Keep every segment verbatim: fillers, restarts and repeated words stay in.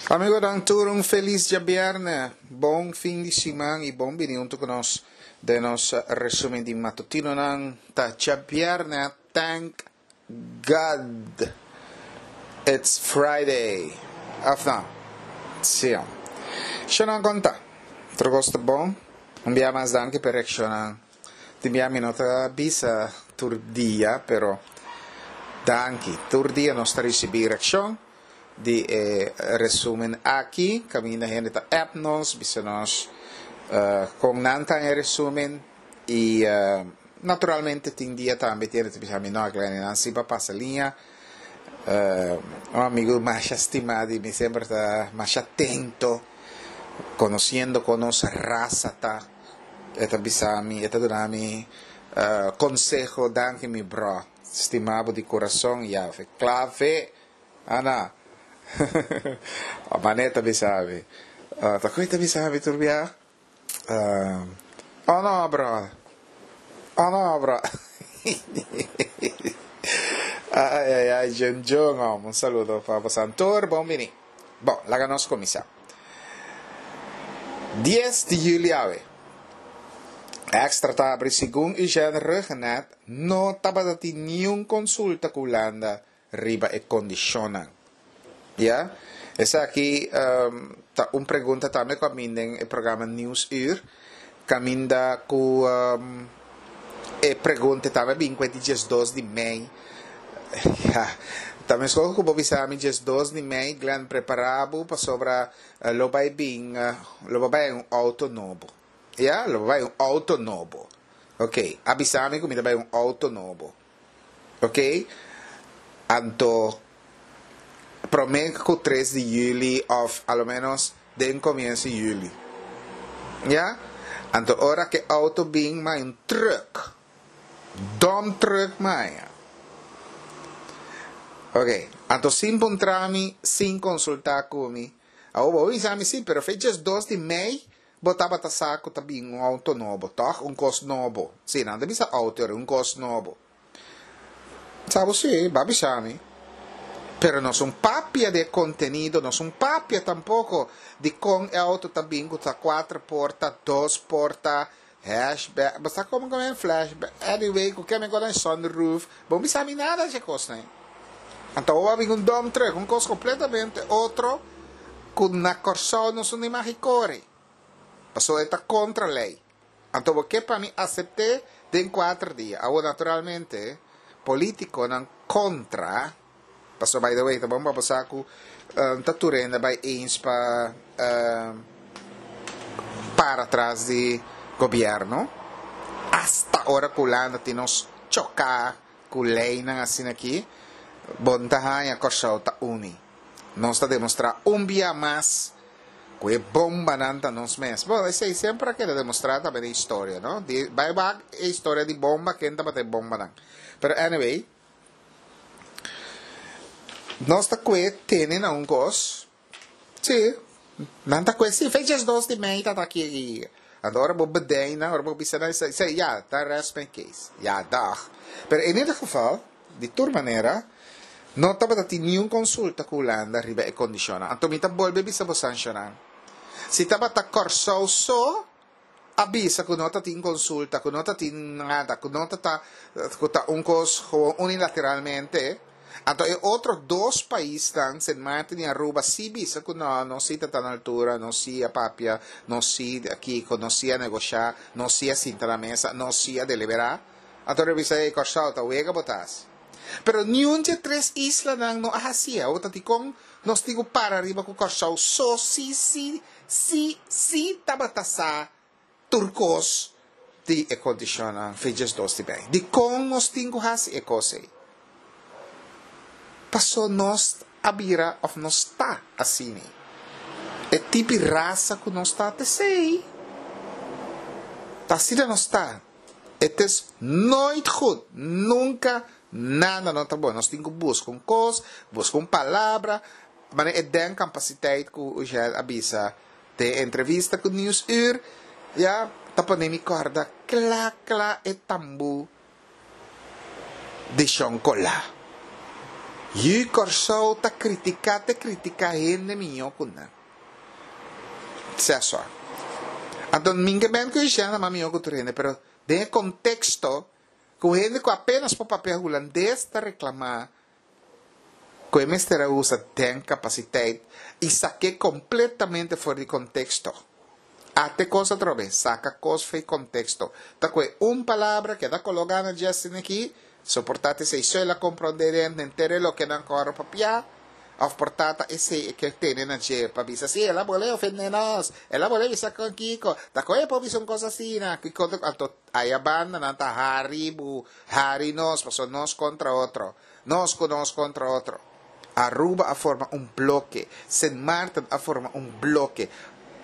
Amigonan tur un felis djabièrnè, bon fin di siman i bon bini huntu ku nos den nos resumen di matutinonan. Ta djabièrnè, thank God it's Friday. Òf no? Sí. Shonnan konta? Tur kos ta bon? Un bia mas danki pa e reakshonnan. Tin bia mi no ta bisa tur dia, pero danki. Tur dia nos ta risibí reakshon. Di e resumen aki, kaminda hende ta app nos, bisa nos kon nan ta e resumen i naturalmente tin dia tambe tin hende ta bisa mi no Glenny nan si pa pasa liña. Un amigu masha stima di mi semper ta masha atento konosiendo kon nos rasa ta e ta bisa mi e ta duna mi konseho danki mi bro stima bo di kurason yave klave. Ana, Mane ta bisa mi. Ta koe ta bisa mi tur bia? Oh no bro. Oh no bro. Ai ai ai Jun Jun om. Un saludo pa bosan tur. Bon bini. Bon, laga nos kuminsá. Dies di juli awe. Extra ta abri segun Eugène Rhuggenaath no tabata tin niun konsulta ku Hulanda riba e kondishonnan. Ya? Esaki ta un pregunta tambe ku a bin den e programa Nieuwsuur, kaminda ku e pregunta tambe a bin ku e di diesdos di mei. Ya, ta meskos ku bo bisa mi diesdos di mei, Glenn, prepará bo pasobra lo bai bin, lo bo bai un outo nobo. Ya, lo bo bai un outo nobo. Oké, a bisa mi ku mi ta bai un outo nobo. Ok, anto prome ku tres di juli of a lo menos den komienso di juli. Ya? Anto ora ke auto bin mai un truck, dump truck mai. Ok, anto sin puntra mi, sin konsulta ku mi. Awor bo bisa mi si, pero fecha es dos di mei bo tabata sa ku ta bin un auto nobo, tòg? Un kos nobo. Si, nan ta bisa auto ora, un kos nobo. Sa bo si, bo a bisa mi. Pero nos un papia di e kontenido, nos un papia tampoko di kon e auto ta bin ku ta kuater porta, dos porta, hashback, bo sa komo ku flashback, anyway, ku ke mi kos nan sunroof, bo no bisa mi nada di e kosnan ei. Anto awor a bin un dump truck, un kos kompletamente otro ku na Kòrsou nos no imagi kore, pasobra e ta kontra lei. Anto bo ke pa mi asept'é den kuater dia. Awor naturalmente politikonan kontra, pasobra by the way ta bon pa bo sa ku ta tur hende bai eens pa para tras di gobièrnu, asta ora ku Hulanda tin nos choká ku leinan asina aki, bo no ta haña Kòrsou ta uni. Nos ta demostrá un bia mas ku e bombanan ta nos mes. Bon, esei semper a keda demostrá tambe den historia, no? Di, bai wak e historia di bomba, ken tabata e bombanan. Pero anyway, nos ta kue tene na un kos, sí, nan ta kue, sí, fecha es dos di mei ta ta aki. Anto ora bo bedei nan, ora bo bisa nan, esei, ya, ta rest my case. Ya, dag. Pero in ieder geval, Di tur manera, no tabata tin niun konsulta ku Hulanda riba e kondishonnan. Anto mi ta bolbe bisa bo sanshonan. Si tabata Kòrsou so a bisa ku no ta tin konsulta, ku no ta tin nada, ku no ta ta ku ta un kos gewoon unilateralmente, anto e otro dos paisnan, Sint Maarten i Aruba, si bisa ku no, nos si ta ta na altura, nos si a papia, nos si a kiko, nos si a negoshá, nos si a sinta na mesa, nos si a deliberá. Anto lo bisa ei, Kòrsou, ta wega bo ta hasi. Pero niun dje tres islanan no a hasié. Awor ta dikon nos tin ku para riba ku Kòrsou so si si si si tabata sa tur kos di e kondishonnan fecha dos di mei. Dikon nos tin ku hasi e kos ei? Paso nos a bira òf nos ta asina. E tipi rasa ku nos ta ta esei. Ta asina nos ta. Het is nooit goed. Nunca nada no ta bon. Nos tin cu busca un cos, busca un palabra. Manera e denkcampaciteit cu Ugel a bisa den e entrevista cu Nieuwsuur, ya, ta pone mi corda cla cla e tambu di Shon Cola. Yu Kòrsou ta kritiká te kritiká hende mihó ku nan. Sesor. Anto mi ke men ku Ishana mas mihó ku tur hende, pero den e konteksto ku hende ku apenas por papia hulandes ta reklamá ku e mester a usa denkkapaciteit i sak'é kompletamente for di konteksto. Ate kos atrobe, saka kos for di konteksto. Ta kue un palabra keda kologá na dje asina aki, soportá ta esei so el a komprondé den henter e loke nan kòrda papiá, òf por ta ta esei e ke tene na dje pa bisa, sí, el a bolé ofendé nos, el a bolé bisa kon kiko, ta kon e por bisa un kos asina, kiko ta, anto aya banda nan ta hari bu, hari nos, pasobra nos kontra otro, nos ku nos kontra otro. Aruba a forma un bloke, Sint Maarten a forma un bloke,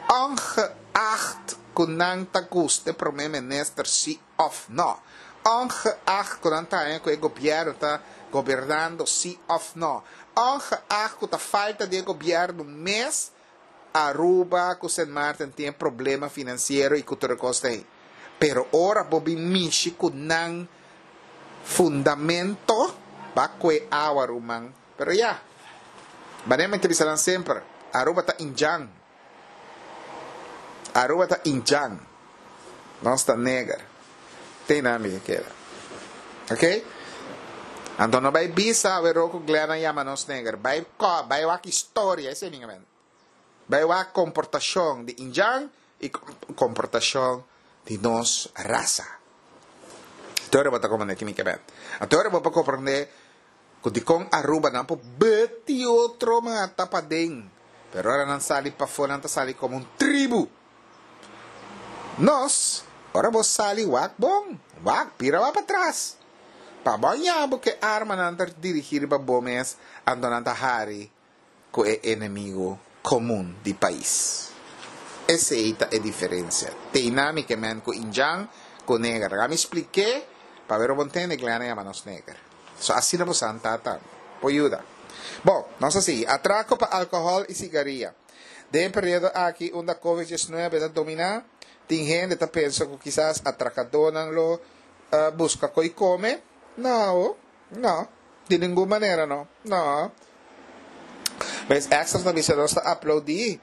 ongeacht ku nan ta gusta e prome minister si òf no, ongeacht ku nan ta haña ku e gobièrnu ta gobernando si òf no, ongeacht ku ta falta di e gobièrnu mes, Aruba ku Sint Maarten tin e problema finansiero i ku tur e kos ta ei. Pero ora bo bin mishi ku nan fundamento, ba kue awa ruman. Pero ya, manera mi ta bisa nan semper, Aruba ta indjan. Aruba ta indjan. Nos ta neger. Te nan mi ke keda. Ok? Anto no bai bisa awero ku Glenn a yama nos neger. Bai ko, bai wak historia, esei mi ke men. Bai wak komportashon di indjan i komportashon di nos rasa. Te ora bo ta komprendé ki mi ke men. Anto ora bo por komprendé ku dikon Aruba nan por beti otro mata paden, pero ora nan sali pafó nan ta sali komo un tribu. Nos, ora bo sali wak bon, wak bira wak patras. Pa bo haña bo ku e armanan ta dirigí riba bo mes, anto nan ta hari ku e enemigu komun di pais. Esei ta e diferensia. Teiná mi ke men ku indjan ku neger. Laga mi splik'é pa ber bo ntende Glenn a yama nos neger. So asina bo sa tata por yuda. Bon, nos a sigui. Atrako pa alkohòl i sigaria. Den e periodo aki unda Covid diesnuebe ta dominá, tin hende ta pensa ku kisas atrakadónan lo buska koi kome. No, no. Di ningun manera no. No. Mes Extra ta bisa nos ta aplaudí.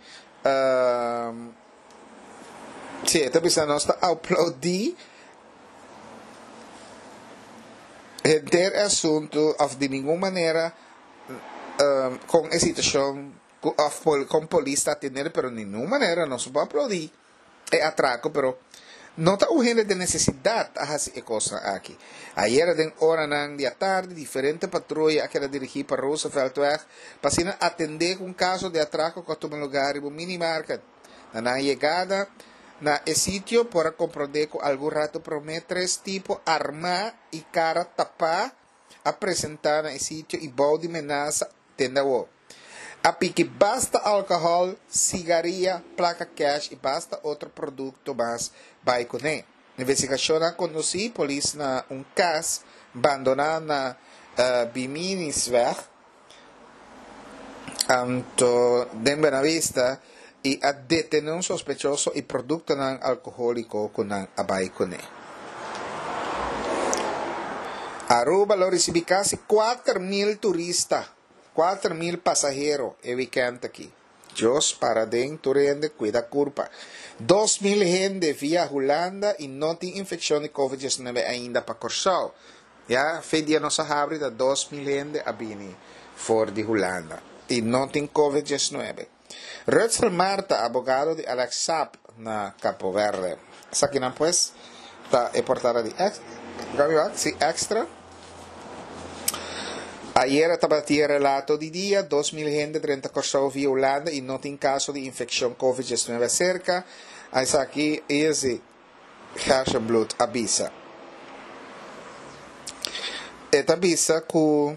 Sí, e ta bisa nos ta aplaudí henter e asuntu of di ningun manera kon e situashon ku of kon polis ta atendé pero di ningun manera nos no por aplaudí e atrako pero no ta un hende den nesesidat a hasi e kosnan aki. Ayera den oranan di atardi diferente patruya a keda dirigí pa Rooseveltweg pa asina atendé ku un kaso di atrako ku a tuma lugá riba un minimarket. Na nan yegada na e sitio por a komprondé ku algun ratu promé tres tipo armá i kara tapá a presentá na e sitio i bou di menasa tende awor. A piki basta alkohòl, sigaria, plaka kèsh i basta otro produkto mas bai kuné. Investigashonnan a kondusí polis na un kas bandoná na Biminisweg, anto den Buenavista i a detené un sospechoso i produktonan alkohóliko ku nan a bai kuné. Aruba lo risibí kasi kuater mil turista, kuater mil pasahero e wikènt aki. Dios para den tur hende kuida kurpa. Dos mil hende via Hulanda i no tin infekshon di covid diesnuebe ainda pa Kòrsou. Ya fe dia nos a habri ta dos mil hende a bini for di Hulanda i no tin covid diesnuebe. Rutsel Marta, abogado di Alex Saab na Capo Verde. Esakinan pues ta e portada di si Extra. Ayera tabatin e relato di dia, dos mil hende drenta Kòrsou via Hulanda i no tin kaso di infekshon covid diesnuebe aserka. Esaki Izzy Gerstenbluth a bisa. E ta bisa ku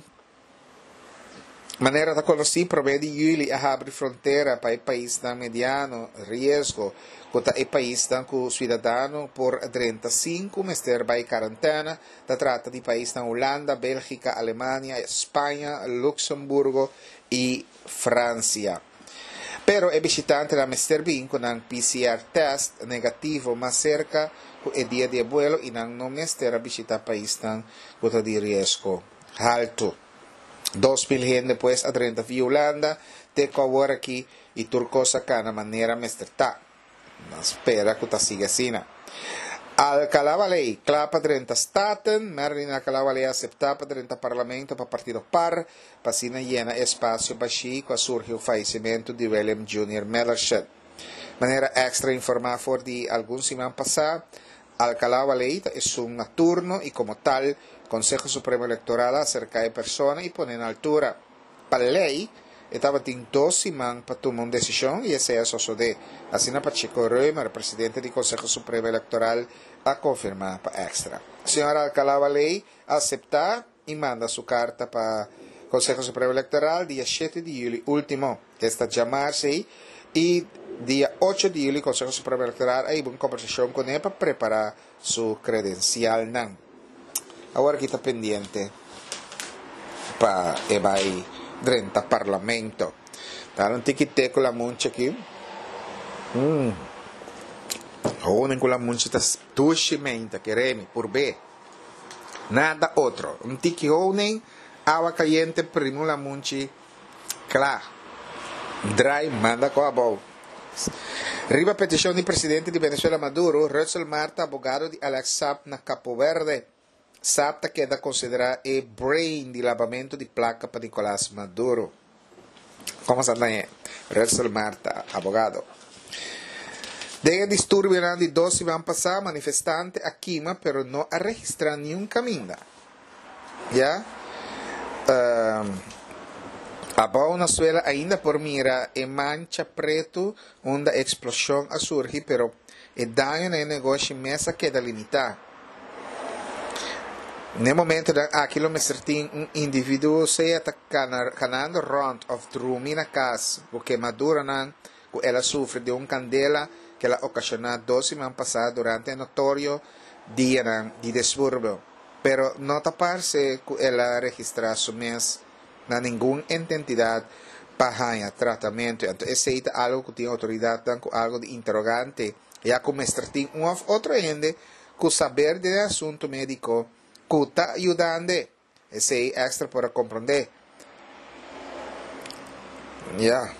manera ta konosí promé di yüli a habri frontera pa e paisnan mediano riesgo ku ta e paisnan ku suidadano por drenta sin ku mester bai karantèna. Ta trata di paisnan Hulanda, Bélgika, Alemania, Spaña, Luxemburgo i Fransia. Pero e bishitantenan mester bin ku nan P C R tèst negativo mas serka ku e dia di e buelo i nan no mester a bishitá paisnan ku ta di riesgo haltu. Dos mil hende pues a drenta via Hulanda te ku awor aki i tur kos a kana manera mester ta. Nan spera ku ta sigui asina. Alcalá-Wallé kla pa drenta Staten. Merlin Alcalá-Wallé a aseptá pa drenta Parlamento pa partido par pa asina yena e espasio bashí ku a surgi ku fayesimentu di William Junior Mellershut. Manera Extra informá for di algun siman pasá, Alcalá-Wallé ta esun na turno i komo tal, Konseho Supremo Elektoral a aserká e persona i pone na altura. Pa lei, e tabatin dos siman pa tuma un desishon i esei a sosodé, asina Pacheco Römer, presidente di Konseho Supremo Elektoral, a konfirmá pa Extra. Señor Alcalá-Wallé a aseptá i manda su karta pa Konseho Supremo Elektoral dia shete di yüli último, esta djamars ei, i dia ocho di yüli Konseho Supremo Elektoral a hiba un kombersashon kuné pa prepará su kredensialnan. Awor aki ta pendiente pa e bai drenta Parlamento. Ta un tiki te ku lamunchi aki. Mm. Honing ku lamunchi ta dushi meinta, kere mi, purb'é. Nada otro. Un tiki honing, awa kayente, primi un lamunchi, kla. Drai manda ku abou. Riba petishon di presidente di Venezuela Maduro, Rutsel Marta, abogado di Alex Saab na Capo Verde. Saab ta keda konsiderá e brain di labamentu di plaka pa Nicolas Maduro. Komo sa ta e? Rutsel Marta, abogado. Den e disturbionan di dos siman pasá, manifestante a kima pero no a registrá niun kaminda. Ya. Abou na suela ainda por mira e mancha pretu unda e eksploshon a surgi pero e daño na e negoshi mes a keda limitá. N'e momentonan aki lo mester tin un individuo sea ta kanando rònt òf drumi na kas ku kemaduranan ku el a sufri di un kandela ku el a okashoná dos siman pasá durante e notorio dianan di disturbio. Pero no ta parse ku el a registrá su mes na ningun ententidat pa haña tratamentu. Anto esei ta algu ku tin outoridatnan ku algu di interogante, ya ku mester tin un òf otro hende ku saber den e asuntu médiko ku ta yudand'e. Esei Extra por a komprondé. Ya.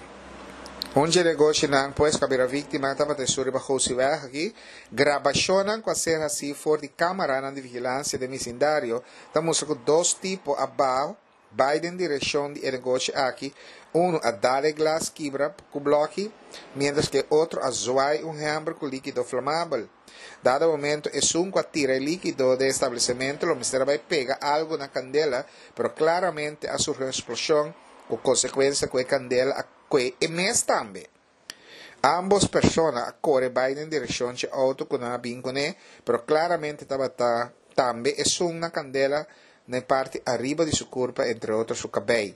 Un dje negoshinan pues ku a bira víktima tabata esun riba Gosiweg aki. Grabashonnan ku a ser hasí for di kámaranan di vigilansia den bisindario ta mustra ku dos tipo a baha bai den direkshon di e negoshi aki, unu a dal e glas kibra ku blòki, miéntras ku e otro a zwai un hèmber ku líkido flamabel. Dado momento esun ku a tira e líkido den e establesementu lo mester a bai pega algu na kandela, pero klaramente a surgi un eksploshon ku konsekuensia ku e kandela a kue e mes tambe. Ámbos persona a kore bai den direkshon dje outo ku nan a bin kuné, pero klaramente tabata tambe esun na kandela na e parti ariba di su kurpa, entre otro su kabei.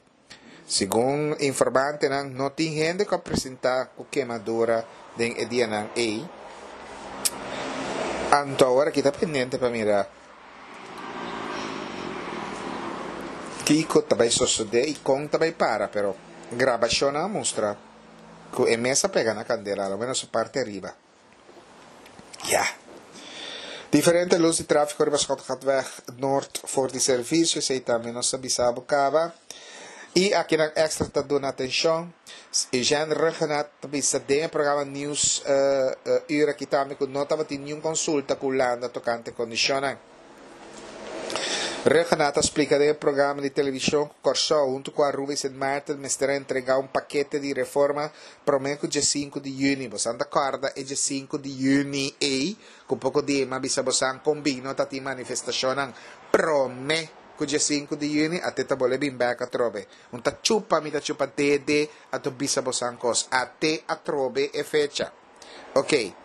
Segun informantenan, no tin hende ku a presentá ku kemadura den e dianan ei. Anto awor aki ta pendiente pa mira kiko ta bai sosodé i kon ta bai para, pero grabashonnan a mustra ku e mes a pega na kandela, alo menos su parti ariba. Ya. Diferente lus di tráfiko riba Schotgatweg Noord for di servisio, esei tambe nos a bisa bo kaba. I akinan Extra ta duna atenshon. Eugène Rhuggenaath ta bisa den e programa Nieuws Uur aki tambe ku no tabatin niun konsulta ku Hulanda tokante kondishonnan. Rhuggenaath a splika den e programa di televishon ku Kòrsou huntu ku Aruba i Sint Maarten mester a entregá un pakete di reforma promé ku diesinku di yüni. Bosan ta kòrda e diesinku di yüni ei ku poko di mi a bisa bosan kon bin no ta tin manifestashonnan promé ku diesinku di yüni ate ta bole bin bèk atrobe. Un ta chupa mi ta chupa dede anto bisa bosan kos ate atrobe e fecha. Oke.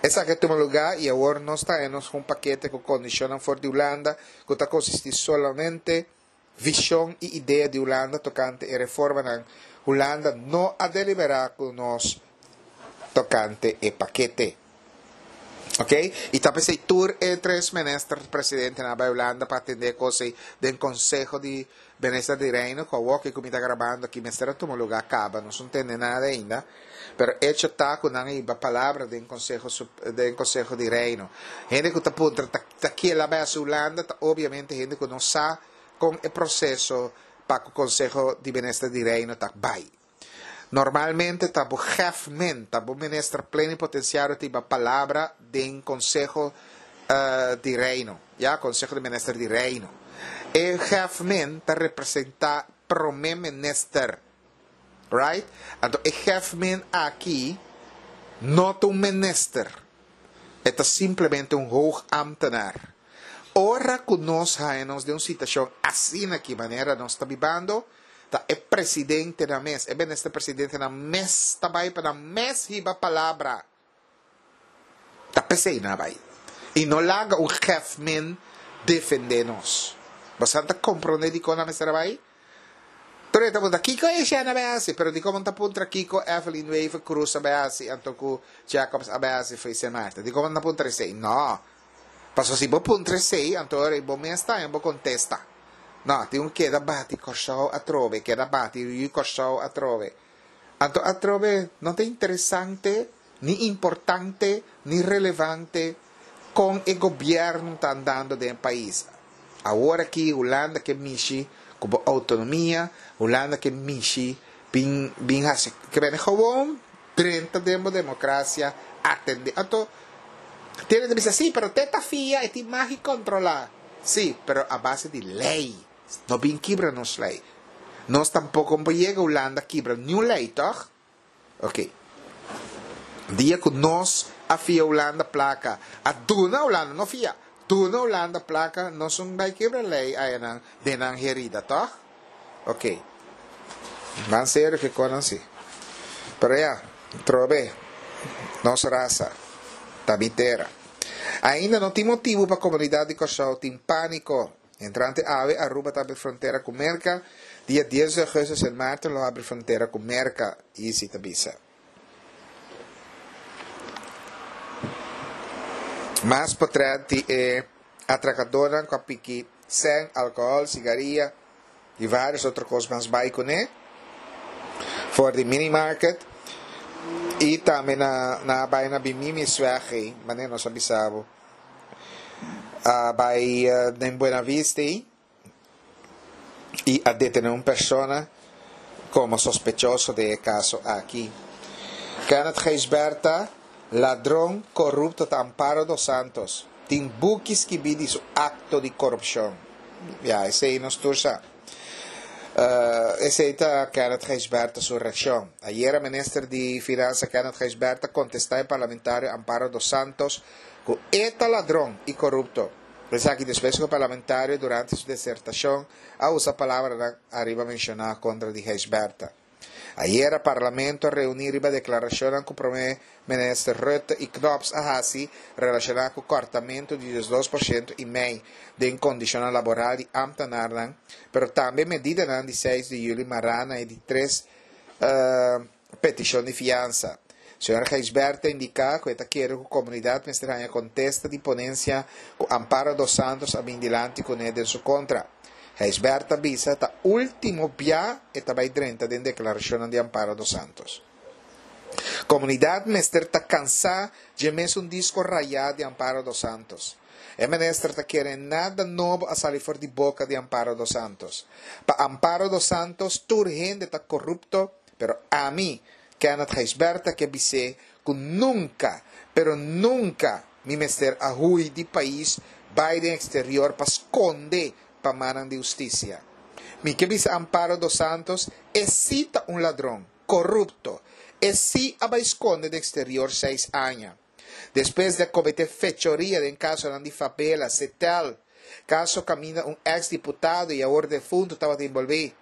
Esaki a tuma lugá i awor nos ta haña nos ku un pakete ku kondishonnan for di Hulanda ku ta konsistí solamente vishon i idea di Hulanda tokante e reformanan. Hulanda no a deliberá ku nos tokante e pakete. Oke. I ta p'esei tur e tres minister presidentenan a bai Hulanda pa atendé e kos ei den Konseho di Minister di Reino ku awor ku mi ta grabando aki mester a tuma lugá kaba. Nos no tende nada ainda. Pero echo ta ku nan a hiba palabra den Konseho den Konseho di Reino. Hende ku ta puntra ta ta kiel a bai hasi Hulanda ta obiamente hende ku no sa kon e proseso Pa ku Konseho di Minister di Reino ta bai. Normalmente ta bo chefman, ta bo minister plenipotensiario ta hiba palabra den Konseho di Reino, ya, Konseho di Minister di Reino. E chefman ta representá promé minister, right? Anto e chefman aki no ta un minister, e ta simplemente un hoogambtenaar. Ora ku nos haña nos den un situashon asina aki manera nos ta bibando, ta e presidentenan mes, e minister presidentenan mes ta bai pa nan mes hiba palabra. Ta p'esei nan a bai. I no laga un chefman defendé nos. Boso ta komprondé dikon nan mester a bai? Tur e ta puntra kiko Etienne a bai hasi, pero dikon bo no ta puntra kiko Evelyn Wever Croes a bai hasi anto ku Jacobs a bai hasi for Sint Maarten? Dikon bo no ta puntra esei? No. Pasobra si bo puntra esei, anto ora ei bo mes ta haña bo kontesta. No, tin un keda bati Kòrsou atrobe, keda bati Yu Kòrsou atrobe. Anto atrobe no ta interesante, ni importante, ni relevante kon e gobièrnu ta andando den e pais. Awor aki Hulanda ke mishi ku bo outonomia, Hulanda ke mishi bin bin hasi ke bene gewoon drenta den bo demokrasia atende. Anto tin hende ta bisa si pero te ta fia e tin mag di kontrola. Si pero a base di lei. No bin kibra nos lei. Nos tampoko no por yega Hulanda kibra niun lei tòg? Ok. Dia ku nos a fia Hulanda plaka, a duna Hulanda, no fia, duna Hulanda plaka, nos un bai kibra lei ayanan den nan herida, tòg? Ok. Ban serio ke konan si. Pero ya, trobe, nos rasa ta mi tera. Ainda no tin motibu pa komunidat di Kòrsou tin pániko. Entrante awe Aruba ta habri frontera ku Merka, dia dies di ougùstùs Sint Maarten lo habri frontera ku Merka, Izzy ta bisa. Mas potrèt di e atrakadónan ku a piki sèn, alkohòl, sigaria i vários otro kos mas bai kuné for di minimarket i tambe na nan a bai na Bimimisweg ei, manera nos a bisa bo, a bai den Buenavista ei. I a detené un persona komo sospechoso den e kaso aki. Kenneth Gijsbertha, ladron korupto ta Amparo dos Santos. Tin buki skibí di su akto di korupshon. Ya, esei nos tur sa. Esei ta Kenneth Gijsbertha su reakshon. Ayera minister di Finansa Kenneth Gijsbertha kontestá e parlamentario Amparo dos Santos ku e ta ladron i korupto. Esaki despues ku e parlamentario durante su desertashon a usa palabranan ariba menshoná kontra di Gijsbertha. Ayera parlamento a reuní riba deklarashonnan ku prome minister Rutte i Knops a hasi relashoná ku kòrtamentu di diesdos por shento i mei den kondishonnan laboral di ámtenarnan, pero tambe medidanan di seis di yüli mará na e di tres petishon di fiansa. Señor Gijsbert ta indiká ku e ta kere ku komunidat mester haña kontesta di ponensia ku Amparo dos Santos a bin dilanti kuné den su kontra. Gijsbert ta bisa ta último bia e ta bai drenta den deklarashonnan di Amparo dos Santos. Komunidat mester ta kansá dje mesun disko rayá di Amparo dos Santos. E minister ta kere nada nobo a sali for di boka di Amparo dos Santos. Pa Amparo dos Santos tur hende ta korupto, pero ami, Kenneth Gijsbertha ke bis'é ku nunka, pero nunka mi mester a hui di pais bai den eksterior pa skonde pa mannan di hustisia. Mi ke bisa Amparo dos Santos e sí ta un ladron, korupto, e sí a bai skonde den eksterior seis aña. Despues di a kometé fechoria den kasonan di Fabela, Setel, kaso kaminda un eks diputado i awor defuntu tabata inbolbí.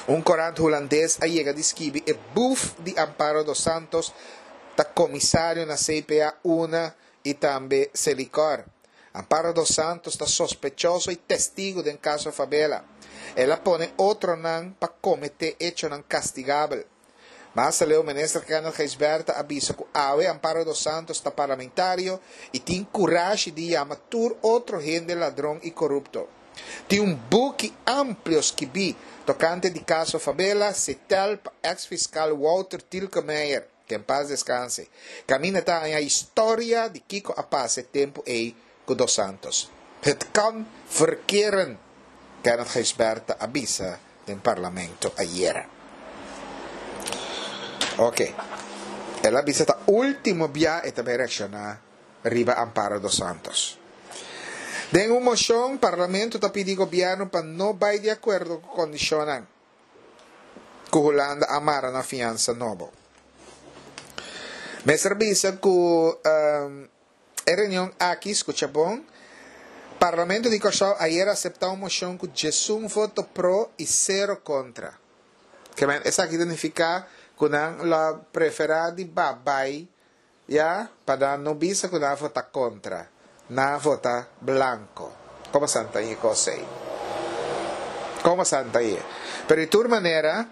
Un korant hulandes a yega di skibi e buf di Amparo dos Santos ta komisario na C P A una i tambe Selikor. Amparo dos Santos ta sospechoso i testigu den kaso Fabela. El a pone otronan pa kometé echonan kastigabel. Mas aleu Minister Kenneth Gijsbertha a bisa ku awe Amparo dos Santos ta parlamentario i tin kurashi di yama tur otro hende ladron i korupto. Tin un buki amplio skibí tokante di kaso Fabela, setel pa eks fiskal Wouter Tielkemeijer, ke en pas deskanse. Kaminda ta haña historia di kiko a pasa e tempu ei ku Dos Santos. Het kan verkeren. Kenneth Gijsbertha a bisa den parlamento ayera. Ok. El a bisa ta último bia e ta bai reakshoná riba Amparo dos Santos. Den un moshon, parlamento ta pidi gobièrnu pa no bai di akuerdo ku kondishonnan ku Hulanda a mara na fiansa nobo. Mester bisa ku e reunion aki, skucha bon, Parlamento di Kòrsou ayera aseptá un moshon ku djesun voto pro i sero kontra. Ke men esaki ta nifiká ku nan lo a preferá di ba bai ya pa nan no bisa ku nan a vota kontra. Nan a vota blanko. Komo san ta e kos ei? Komo san ta e? Pero di tur manera,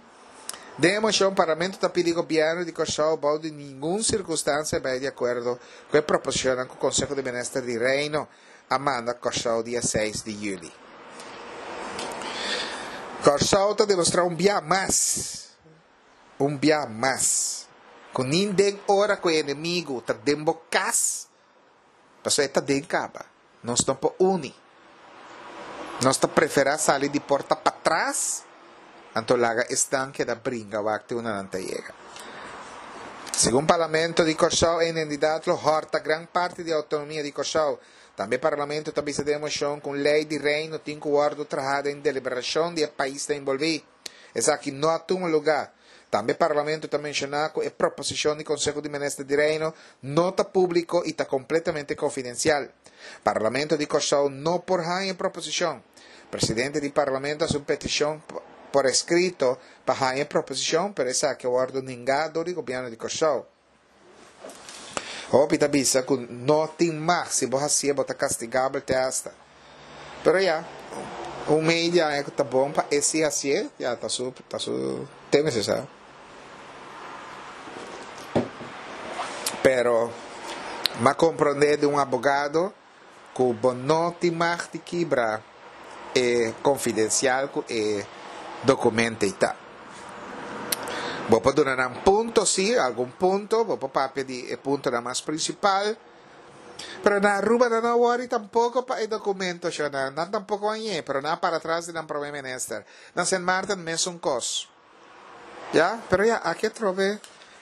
den e moshon Parlamento ta pidi Gobièrnu di Kòrsou bou di ningun sirkunstansia bai di akuerdo ku e proposishonnan ku Konseho di Minister di Reino a manda Kòrsou dia seis di yüli. Kòrsou ta demostrá un bia mas, un bia mas, ku nin den ora ku e enemigu ta den bo kas, pasobra e ta den kaba, nos no por uni. Nos ta preferá sali di porta patras, anto laga esnan keda bringa wak te unda nan ta yega. Segun Parlamento di Kòrsou e identidat lo hòrta gran parti di outonomia di Kòrsou. Tambe Parlamento ta bisa den e moshon ku un lei di Reino tin ku wòrdu trahá den deliberashon di e paisnan enbolbí. Esaki no a tuma lugá. Tambe Parlamento ta menshoná ku e proposishon di Konseho di Minister di Reino no ta públiko i ta kompletamente konfidensial. Parlamento di Kòrsou no por haña e proposishon. Presidente di Parlamento hasi un petishon por eskrito pa haña e proposishon, pero esaki a wòrdu ningá dor di Gobièrnu di Kòrsou. Hopi ta bisa ku no tin mag, si bo hasié bo ta kastigabel te asta. Pero ya, un media aña ku ta bon pa e si hasié, ya ta su ta su tema esei sa. Pero m'a komprondé di un abogado ku bo no tin mag di kibra e konfidensial ku e dokumento ei ta. Bo por duna nan punto, sí, algun punto, bo por papia di e puntonan mas prinsipal, pero na Aruba nan no a wòri tampoko pa e dokumento, shonnan, nan tampoko a ñe, pero nan a para tras di nan prome minister. Na Sint Maarten mesun kos. Ya, pero ya, aki atrobe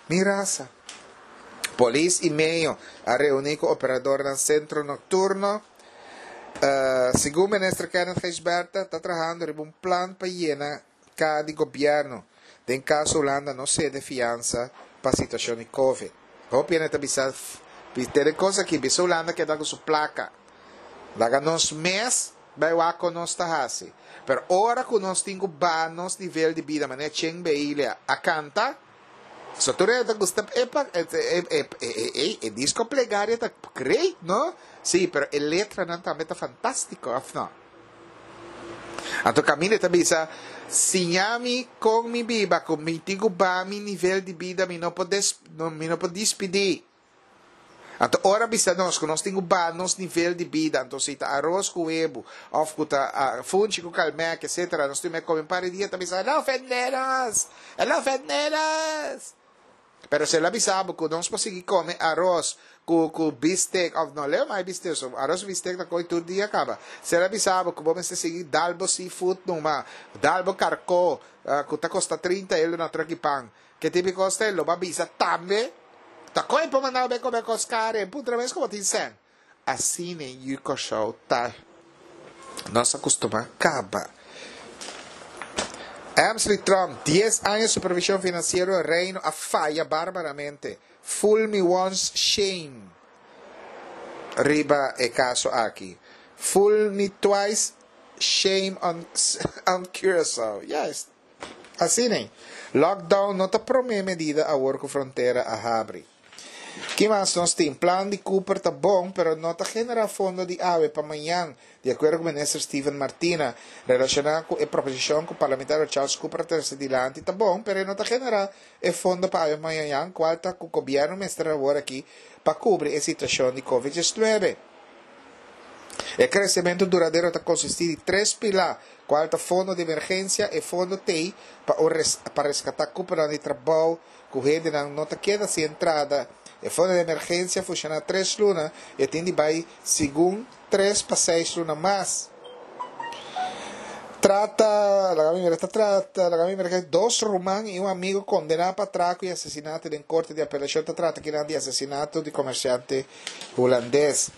mi rasa. Polis i meyo a reuní ku operadornan sentro nokturno. Segun minister Kenneth Gijsbertha ta trahando riba un plan pa yena ka di gobièrnu den kaso Hulanda no sede fiansa pa situashon di covid. Hopi hende ta bisa tene kos aki, bisa Hulanda keda ku su plaka. Laga nos mes bai wak kon nos ta hasi. Pero ora ku nos tin ku baha nos nivel di bida manera Chen Beilia a kanta, so tur hende ta gusta e e e disko Plegaria ta great no? Sí, pero e letranan tambe ta fantástiko òf no? Anto kaminda e ta bisa, Siña mi kon mi biba, ku mi tin ku baha mi nivel di bida, mi no por des, mi no por dispidí. Anto ora bisa nos ku nos tin ku baha nos nivel di bida, anto si ta aros ku webu, òf ku ta funchi ku kalmèk, etsetera, nos tin mester kome un par di dia, ta bisa, El a ofendé nos! El a ofendé nos! Pero si el a bisa bo cu nos por sigui come aros cu cu bistek of no leo mai bistek so aros cu bistek ta coy tur dia caba. Si el a bisa bo cu bo mester sigui dal bo seafood numa, dal bo carco cu ta costa trinta euro na truck di pan, ke tipo di cos ta e lo bo a bisa tambe ta coy por manda bo bay come cos caro e puntra mes cu bo tin cen. Asina e yu Kòrsou ta. Nos a kustumá kaba. Emsley Trump, dies aña supervishon finansiero Reino a faya barbaramente. Fool me once, shame riba e kaso aki. Fool me twice, shame on on Curaçao. Juist. Asina ei. Lockdown no ta promé medida awor ku frontera a habri. Ki mas nos tin? Plan di Cooper ta bon, pero no ta generá fondo di awe pa mañan, di akuerdo ku Minister Steven Martina. Relashoná ku e proposishon ku Parlamentario Charles Cooper a trese dilanti ta bon, pero e no ta generá e fondo pa awe pa mañan, kual ta ku gobièrnu mester awor aki pa kubri e situashon di Covid diesnuebe. E kresementu duradero ta konsistí di tres pilá, kual ta fondo di emergensia, e fondo t'ei pa un pa reskatá kuponan di trabou, ku hendenan no ta keda sin entrada. E fondo di emergensia funshoná tres luna i e tin di bai segun tres pa seis luna mas. Trata, laga mi mira, ta trata, laga mi mira ku dos ruman i un amigu kondená pa atrako i asesinato den korte di apelashon. Ta trata akinan di asesinato di komersiante hulandes.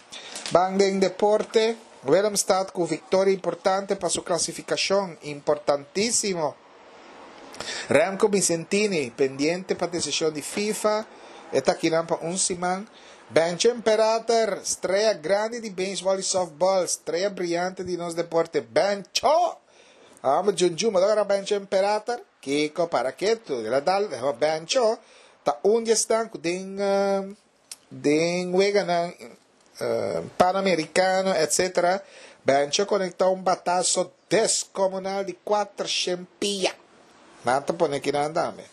Ban den deporte, Willemstad ku viktoria importante pa su klasifikashon, importantísimo. Remco Bicentini pendiente pa desishon di FIFA, e ta akinan pa un siman. Bencho Imperator, strea grandi di beisbòl i sòftbòl, strea briante di nos deporte. Bencho! Amo Junjun, bo ta kòrda Bencho Imperator? Kiko para ketu, el a dal, Bencho ta un di esnan ku den den weganan Panamericano etc. Bencho konektá un bataso deskomunal di kuater shen pia. Nan ta pone kinan tambe.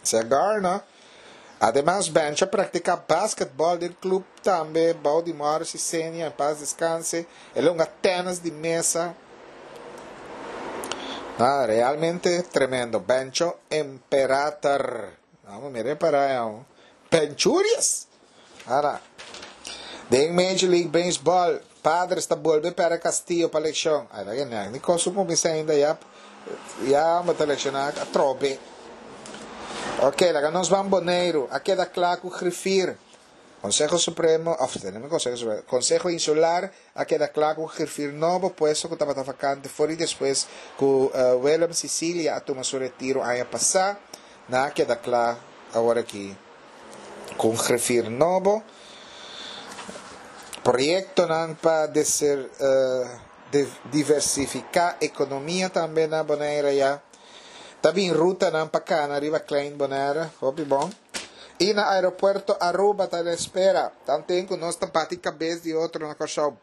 Segar no. Ademas Bencho a praktiká basketbòl den klup tambe bou di Morris i Senia, en pas deskanse. El a hunga tènis di mesa. Nada, realmente tremendo. Bencho Imperator. Vamos mira para allá. Benchurias. Ara. Den Major League Baseball, Padres ta bolbe perde Castillo pa lekshon. Ay, la que ni kosu kuminsá ainda ya ya bo ta lekshoná atrobe. Ok, laga nos ban Boneiru. A keda kla ku grifir. Konseho Supremo, òf tenemos Konseho Supremo, Konseho Insular a keda kla ku grifir nobo, puesto ku tabata vakante for di despues ku Willem Cicilia a tuma su retiro aña pasá. Nan a keda kla awor aki ku un grifir nobo. Proyektonan pa diversifiká ekonomia tambe na Bonaire ya. Ta bin rutanan pa kana riba Klein Bonaire, hopi bon. I na aeropuerto Aruba ta na espera. Tanten ku nos ta bati kabes di otro na Kòrsou,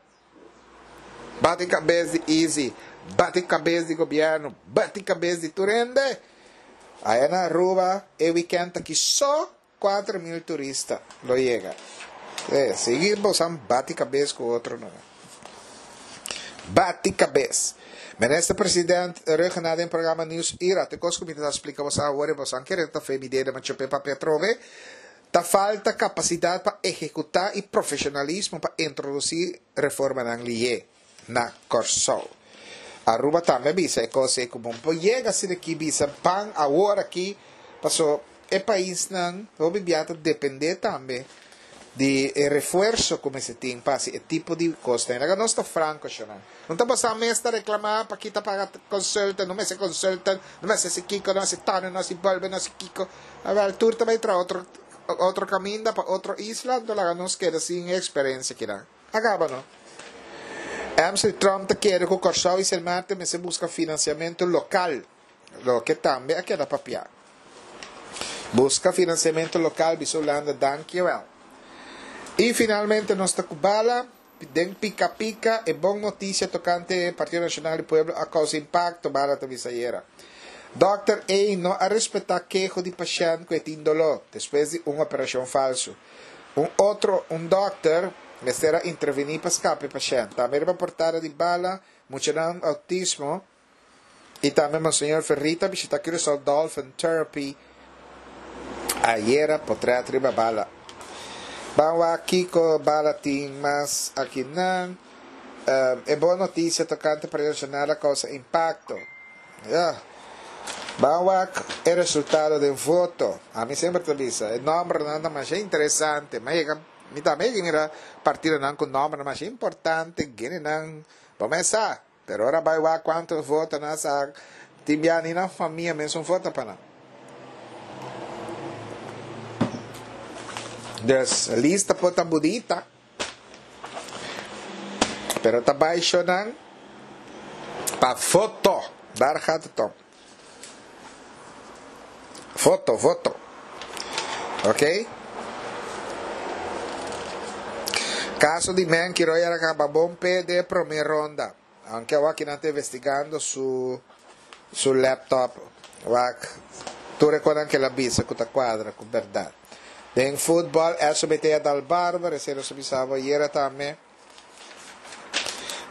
bati kabes di Izzy, bati kabes di gobièrnu, bati kabes di tur hende, aya na Aruba e wikènt aki so kuater mil turista lo yega. E, sigui bosan bati kabes ku otro numa. Bati kabes. Minister President Rhuggenaath den programa Nieuws Ira, te kos ku mi ta splika bosan awor i bosan kere ta fe mi dede ma chope papia atrobe, ta falta kapasidat pa ehekutá i profeshonalismo pa introdusí reformanan lié na Kòrsou. Aruba tambe a bisa e kos ei ku bon por yega asina aki bisa ban awor aki paso e paisnan hopi bia ta dependé tambe di e refuerso ku mester tin pa hasi e tipo di kosnan. Laga nos ta franko shonnan. No ta bosan mes ta reklamá pa kita paga consultant, no mester consultant, no mester hasi kiko, no hasi tano, no hasi bolbe, no hasi kiko. Awèl, tur ta bai traha otro otro kaminda pa otro isla, anto laga nos keda sin e eksperensia kinan. A kaba no. Emsley Tromp ta kere ku Kòrsou i Sint Maarten mester buska finansiamentu lokal, loke tambe a keda papiá. Buska finansiamentu lokal bisa Hulanda dankiewel. I finalmente nos ta ku bala den pika pika e bon notisia tokante Partido Nashonal di Pueblo a kousa impakto, Bala ta bisa ayera. Dòkter A no a respetá keho di pashènt ku e tin doló despues di un operashon falsu. Un otro un dòkter mester a intervení pa skapa e pashènt. Tambe riba portada di Bala, muchanan outismo I tambe Monseñor Ferrita a bishita Curaçao Dolphin Therapy ayera potret riba bala. Ban wak kiko bala tin mas akinan. E bon notisia tokante Partido Nacional a kousa impakto. Ya. Ban wak e resultado den voto. Ami semper ta bisa, e nòmbernan ta masha interesante. Mi a yega, mi tambe a yega mira partidonan ku nòmbernan masha importante, genenan bo mes sa. Pero ora bai wak cuanto voto nan sa tin bia ni nan famia mesun vota pa nan. Dus lista por ta bunita pero ta bai sho nan pa voto. Daar gaat het om. Voto, voto. Ok. Caso di Menki Roy a caba bon p'e den e prome ronda. Aunke awor aki nan ta investigando su su laptop wak tur e konan ke el a bisa ku ta kuadra ku bèrdat. Den futbòl S O B T a dal barber, esei nos a bisa bo ayera tambe.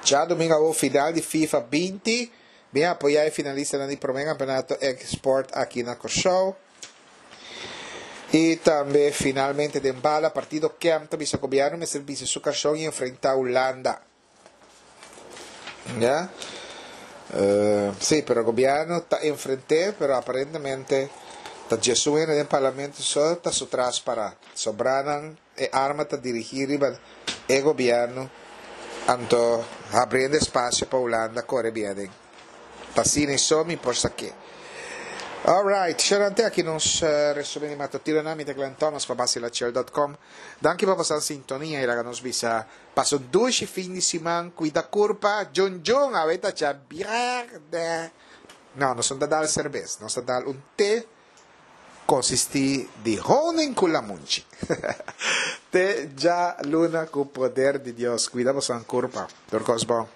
Djadumingu awor final di FIFA binti, bin apoyá e finalistanan di prome kampeonato Export aki na Kòrsou. I tambe finalmente den bala partido Kem ta bisa gobièrnu mester bisti su kashon i enfrentá Hulanda. Ya. Uh, sí, pero gobièrnu ta enfrent'é, pero aparentemente ta diesun hende den parlamento so ta su tras pará. Sobranan e arma ta dirigí riba e gobièrnu, anto habriendo espasio pa Hulanda kore bin aden. Ta asina so mi por sak'é. Alright, xerante aki nos uh, resumen di matutino. Mi ta Glenn Thomas pa Basilachel punto com. Danki pa boso sintonia i laga nos bisa pasa un dushi fin di siman, kuida kurpa, jun jun, awe ta djabièrnè. No, nos no ta dal serbes, nos ta dal un te konsistí di honing ku lamunchi. Te djaluna ku poder di Dios. Kuida boso kurpa. Tur kos bon.